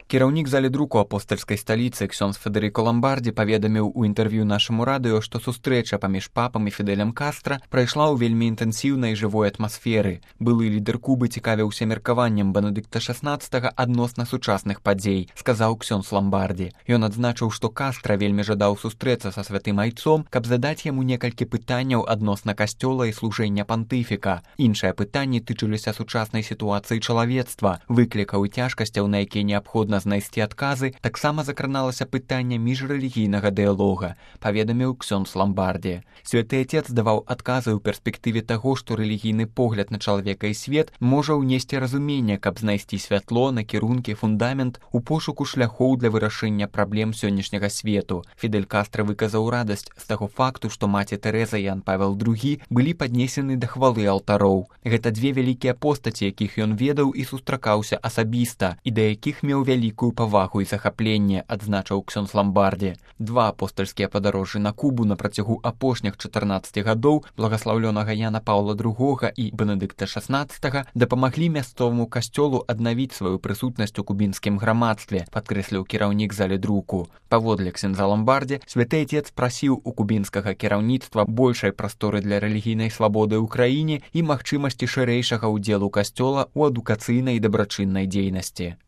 Кіраўнік залі друку апостальскай сталіцы ксёндз Федэрыка Ламбардзі паведаміў у інтэрв'ю нашаму радыё, што сустрэча паміж папам і Фідэлем Кастра прайшла ў вельмі інтэнсіўнай жывой атмасферы. Былы лідар Кубы цікавіўся меркаваннем Бенедыкта XVI адносна сучасных падзей, сказаў ксёндз Ламбардзі. Ён адзначыў, што Кастра вельмі жадаў сустрэцца са святым айцом, каб задаць яму некалькі пытанняў адносна касцёла і служэння пантыфіка. Іншыя пытанні тычыліся сучаснай сітуацыі чалавецтва, выклікаў і цяжкасцяў, на якія неабходна знайсці адказы, таксама закраналася пытанне міжрэлігійнага дыялога, паведаміў ксёндз Ламбардзі. Святы Отец даваў адказы ў перспектыве таго, што рэлігійны погляд на чалавека і свет можа ўнесці разуменне, каб знайсці святло, накірункі, фундамент у пошуку шляхоў для вырашэння праблем сённяшняга свету. Фідэль Кастра выказаў радасць з таго факту, што маці Тэрэза і Ян Павел II былі паднесены да хвалы алтароў. Гэта две вялікія постаці, якіх ён ведаў і сустракаўся асабіста, і да якіх меў вялікую павагу і захапленне, адзначыў ксёндз Ламбардзі. Два апостальскія падарожжы на Кубу на працягу апошніх 14 гадоў благаслаўлёнага Яна Паўла II і Бенедыкта XVI дапамаглі мясцоваму касцёлу аднавіць сваю прысутнасць у кубінскім грамадстве, падкрэсліў кіраўнік залі друку. Паводле ксёндза Ламбардзі, Святы Отец прасіў у кубінскага кіраўніцтва большай прасторы для рэлігійнай свабоды ў краіне і магчымасці шырэйшага ўдзелу касцёла ў адукацыйнай і дабрачыннай дзейнасці.